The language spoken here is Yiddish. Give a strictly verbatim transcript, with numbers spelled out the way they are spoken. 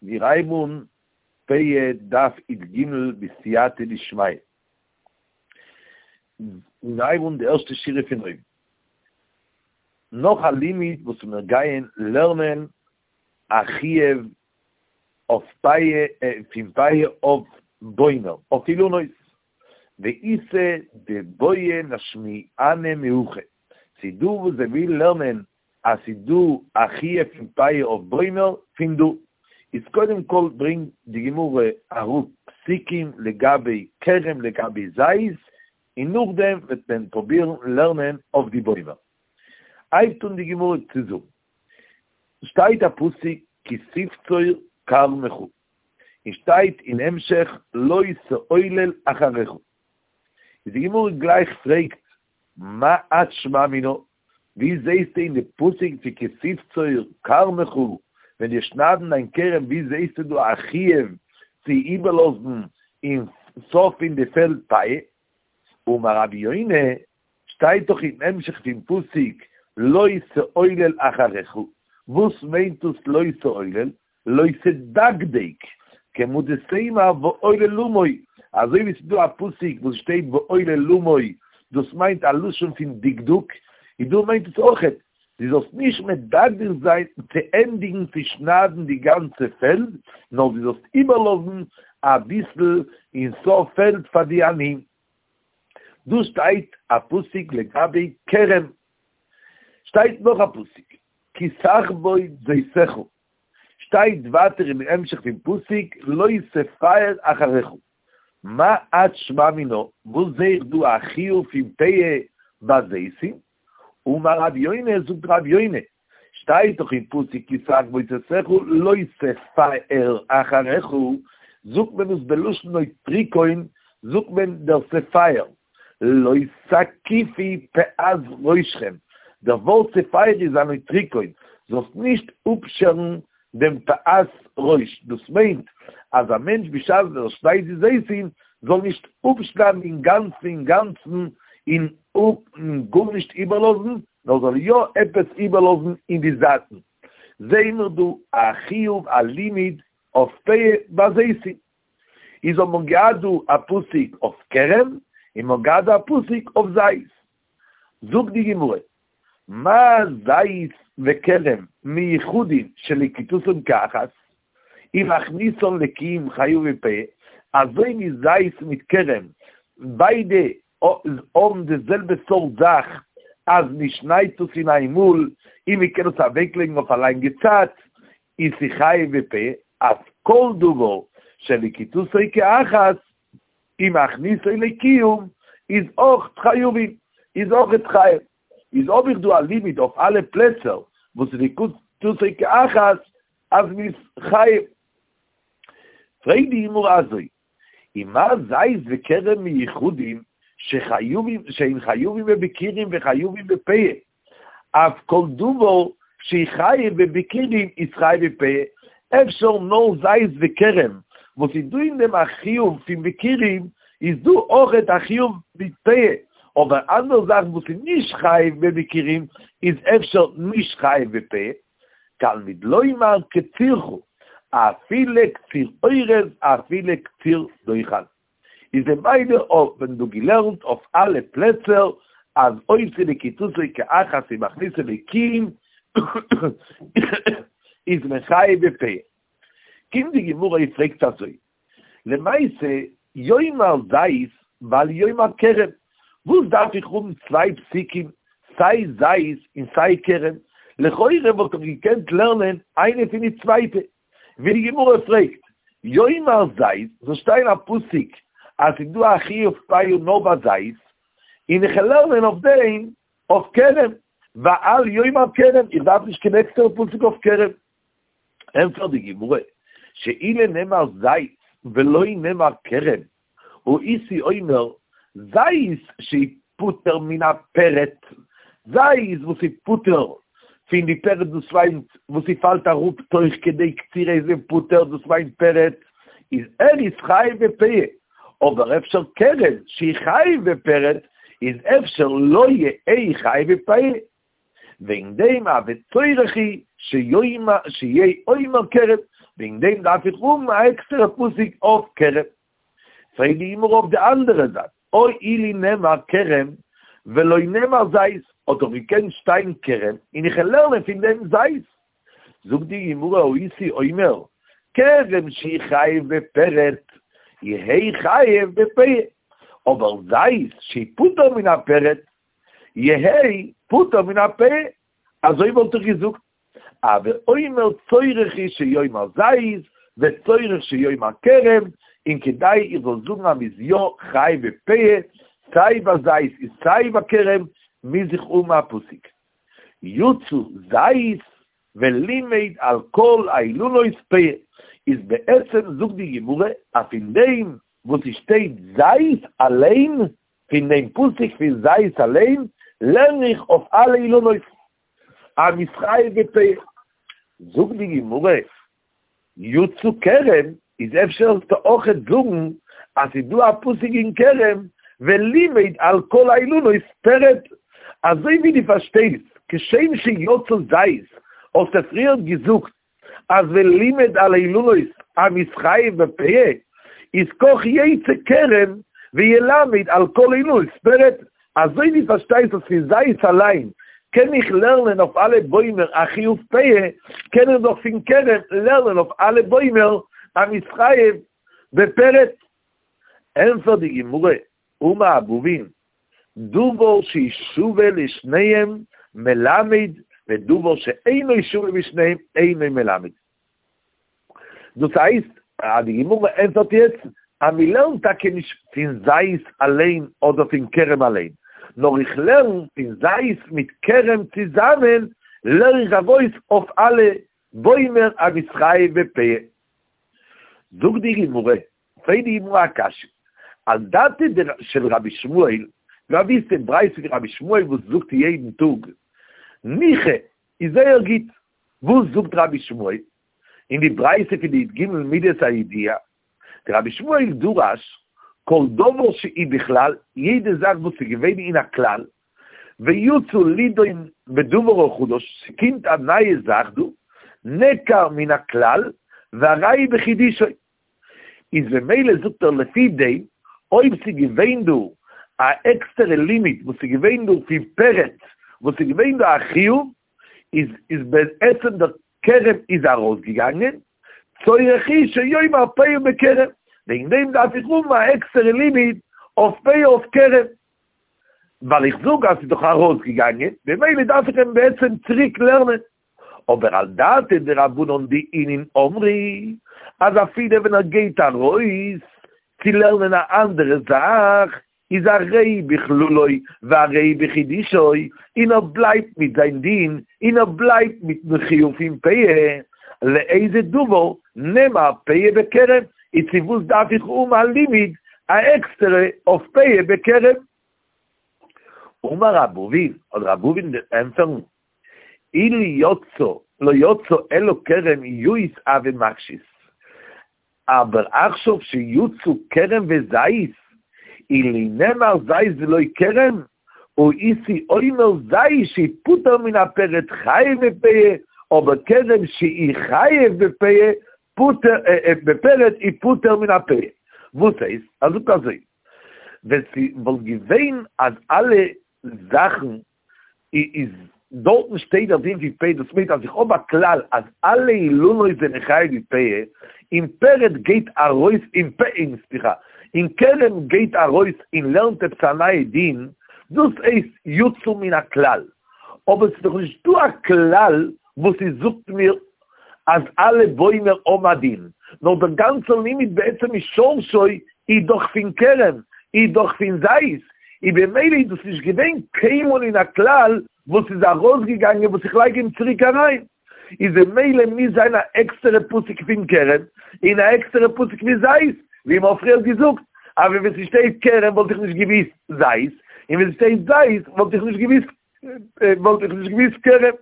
מיר הייבן אן פאה דף י"ג בסייעתא דשמיא. מיר הייבן אן די ערשטע שורה פון אויבן. נאך א לימוד וואס מיר גייען לערנען א חיוב אויף פאה, פון פאה אויף בוימער, אויף אילנות. ואיתא דבעי לאשמועינן מהכא. ס'איז דא וואס זיי ווילן לערנען אז ס'איז דא א חיוב פון פאה אויף בוימער פון דא. איז קודם כל ברענגט די גמרא אראפ פסוקים לגבי כרם לגבי זית, און נאכדעם וועט מען פרובירן לערנען אויף די בוימער. הייבט אן די גמרא צו זאגן, שטייט א פסוק כי תבצור כרמך, און שטייט אין המשך לא תעולל אחריך. איז די גמרא גלייך פרעגט מה את שמע מינה, ווי זעהסטו אין די פסוק פון כי תבצור כרמך, ווען דו שניידן דיין כרם ווי זעהסטו דא א חיוב צו איבערלאזן אין סוף פון די פעלד פאה? אמר רבי יונה, שטייט דאך אין המשך פון פסוק לא תעולל אחריך, וואס מיינט דאס לא תעולל? לא תדקדק, כמה דתימא ועולל למו, אזוי ווי ס'איז דא א פסוק וואס שטייט ועולל למו, דאס מיינט א לשון פון דקדוק, און דא מיינט עס אויכעט, דו זאלסט נישט מדקדק זיין צו ענדיגן צו שניידן די גאנצע פעלד, נאר דו זאלסט איבערלאזן אביסל אין סוף פעלד פאר די עניים. דא שטייט א פסוק לגבי כרם. שטייט נאך א פסוק, כי תכבוד זיתך. שטייט ווייטער אין המשך פון פסוק לא תפאר אחריך, מה את שמע מינה, וואס זעה איך דא א חיוב פון פאה ביי זיתים? אמר רבי יונה, זאגט רבי יונה, שטייט דאך אין פסוק כי תכבוד זיתך לא תפאר אחריך, זאגט מען עס בלשון נוטריקון, זאגט מען דער תפאר, לא תקיפו פאת ראשכם, דער ווארט תפאר איז א נוטריקון, זאלסט נישט אפשערן דעם פאת ראש, דאס מיינט אז א מענטש בשעת ער שניידט די זיתים זאל נישט אפשניידן אינגאנצן אינגאנצן און גארנישט איבערלאזן, נאר זאל יא עפעס איבערלאזן אין די זייטן. זעהן מיר דא א חיוב א לימוד אויף פאה ביי זיתים. איז האט מען געהאט דא א פסוק אויף כרם, און מען האט געהאט דא א פסוק אויף זית. זאגט די גמרא, מה זית וכרם מיוחדים שלקיטתן כאחת, ומכניסן לקיום חייבין בפאה, אזוי ווי זית מיט כרם ביידע האבן די זעלבע סארט זאך אז מען שניידט עס אין איין מאל און מען קען עס אוועקלייגן אויף א לאנגע צייט, איז ס'חייב בפאה, אף כל דבר שלקיטתו כאחת ומכניסו לקיום איז אויך חייבין, איז אויכעט חייב. איז האב איך דא א לימוד אויף אלע פלעצער וואס איז לקיטתו כאחת אז מ'איז חייב. פרעגט די גמרא אזוי, ומה זית וכרם מיוחדים שחייבים שהן חייבים בביכורים וחייבים בפאה, אף כל דבר שחייב בביכורים איז חייב בפאה, אפשר נאר זית וכרם וואס איז דא אין דעם א חיוב פון ביכורים איז דא אויכעט א חיוב מיט פאה, אבער אנדערע זאכן וואס איז נישט חייב בביכורים איז אפשר נישט חייב בפאה, תלמוד לומר קצירך, אפילו קציר אורז אפילו קציר דוחן. איז ממילא האט מען דא געלערנט אויף אלע פלעצער אז אויב ס'איז לקיטתו כאחת ומכניסו לקיום איז מען חייב בפאה. קומט די גמרא און פרעגט אזוי, למעשה יאמר זית ואל יאמר כרם, וואס דארף איך האבן צוויי פסוקים סיי זית און סיי כרם, לכאורה וואלט איך געקענט לערנען איינע פון די צווייטע, ווי די גמרא פרעגט, יאמר זית, זאל שטיין א פסוק אז ס'איז דא א חיוב פאה נאר ביי זית, און איך וועל לערנען אויף דעם אויף כרם, ואל יאמר כרם, איך דארף נישט קיין עקסטערע פסוק אויף כרם. ענטפערט די גמרא, שאילו נאמר זית ולא נאמר כרם, הייתי אומר, זית שהוא פטור מן הפרט, זית וואס איז פטור פון די פרט דאס מיינט וואס ס'פאלט אראפ תוך כדי קצירה איז מען פטור דאס מיינט פרט, איז ער איז חייב בפאה, אבער אפשר כרם שהוא חייב בפרט איז אפשר לא יהא חייב בפאה. וועגן דעם הוי צורך הוא שיאמר שיהא אומר כרם, וועגן דעם דארף איך האבן א עקסטערע פסוק אויף כרם. פרעגט די גמרא אויף די אנדערע זייט, הא אילו נאמר כרם ולא נאמר זית, האט דאך געקענט שטיין כרם און איך וועל לערנען פון דעם זית. זאגט די גמרא הייתי אומר, כרם שחייב בפרט, יהא חייב בפאה, אבער זית שפטור מן הפרט, יהא פטור מן הפאה, אזוי וואלט איך געזאגט, הוי אומר צורך הוא שיאמר זית וצורך שיאמר כרם, און כדי איך זאל זאגן אז מ'איז יא חייב בפאה, סיי ביי זית און סיי ביי כרם, מוז איך האבן א פסוק. יצא זית ולימד על כל האילנות פאה, איז בעצם זאגט די גמרא אז פון דעם וואס ס'שטייט זית אליין, פון דעם פסוק פון זית אליין לערן איך אויף אלע אילנות אז מ'איז חייב בפאה. זאגט די גמרא, יצא כרם, איז אפשר זאלסטו אויכעט זאגן אז ס'איז דא א פסוק אין כרם ולימד על כל האילנות פרט, אזוי ווי דו פארשטייסט כשם שיצא זית האסטו פריערט געזאגט אז ולימד על האילנות אז מ'איז חייב בפאה, איז כך יצא כרם וילמד על כל האילנות פרט, אזוי ווי פארשטייסט אז פון זית אליין קען איך לערנען אויף אלע בוימער א חיוב פאה, קען איך דאך פון כרם לערנען אויף אלע בוימער אז מ'איז חייב בפרט. ענפערט די גמרא, אמר אבובין, דבר ששווה לשניהם מלמד ודבר שאינו שווה בשניהם אינו מלמד. דאס הייסט אז די גמרא ענטפערט יעצט אז מען לערנט טאקע נישט פון זית אליין אדער פון כרם אליין, נאר איך לערן פון זית מיט כרם צוזאמען לערן איך ארויס אויף אלע בוימער אז מ'איז חייב בפאה. זאגט די גמרא, פרעגט די גמרא א קשיא, על דעתיה של רבי ישמעאל, ווי ווייסט די ברייתא פון רבי ישמעאל וואס זאגט יעדן טאג ניחא איז זייער גוט, וואס זאגט רבי ישמעאל אין די ברייתא פון די י"ג מידות הידוע, דרבי ישמעאל דרש כל דבר שהוא בכלל, יעדע זאך וואס איז געווען אין א כלל, ויצא לידון בדבר החדש, ס'קומט א נייע זאך דא, נעקר מן הכלל, והרי בחידושו. איז במילא זאגט ער לפי דעם, אויב ס'איז געווען דא א עקסטערע לימוד וואס איז געווען דא פון פרט, וואס איז געווען דא א חיוב, איז איז בעצם דער כרם איז ארויסגעגאנגען, צורך הוא שיאמר פאה בכרם, וועגן דעם דארף איך האבן א עקסטערע לימוד אויף פאה אויף כרם, ווייל איך זאג אז ס'איז דאך ארויסגעגאנגען, במילא דארף איך אים בעצם צוריק לערנען. אבער על דעתיה דרבנן דאינון אמרי, אז אפילו ווען ער גייט ארויס צו לערנען א אנדערע זאך, איז הרי בכללו והרי בחידושו, און ער בלייבט מיט זיין דין, און ער בלייבט מיטן חיוב פון פאה, לאיזה דבר נאמר פאה בכרם, איז צו וואס דארף איך האבן א לימוד א עקסטערע אויף פאה בכרם? אמר רב אבין, האט רב אבין ענטפערן, אילו יצא, לא יצא אלא כרם יאות הוה מקשית, אבער עכשיו שיצאו כרם וזית, אילו נאמר זית ולא כרם, הייתי אומר זית שפוטר מן הפרט חייב בפאה, אבער כרם שהוא חייב בפאה, פוטר, בפרט איז פוטר מן הפאה. וואס הייסט? ער זאגט אזוי, ווען ס'וואלט געווען אז אלע זאכן איז דארטן שטייט דער דין פון פאה, דאס מיינט אז איך האב א כלל אז אלע אילנות זענען חייב בפאה, און פרט גייט ארויס און פ און סליחה, און כרם גייט ארויס און לערנט עפעס א נייע דין, דאס הייסט יצא מן הכלל, אבער ס'איז דאך נישט דא א כלל וואס עס זאגט מיר אז אלע בוימער האבן א דין, נאר דער גאנצער לימוד בעצם משורשו איז דאך פון כרם, איז דאך פון זית, און במילא איז דאס נישט געווען קיינמאל אין א כלל וואס איז ארויסגעגאנגען וואס איך לייג אים צוריק אריין, איז במילא מוז זיין א עקסטערע פסוק פון כרם און א עקסטערע פסוק פון זית, ווי מ'האט פריער געזאגט אז ווען ס'שטייט כרם וואלט איך נישט געוויסט זית, און ווען ס'שטייט זית וואלט איך נישט געוויסט וואלט איך נישט געוויסט כרם.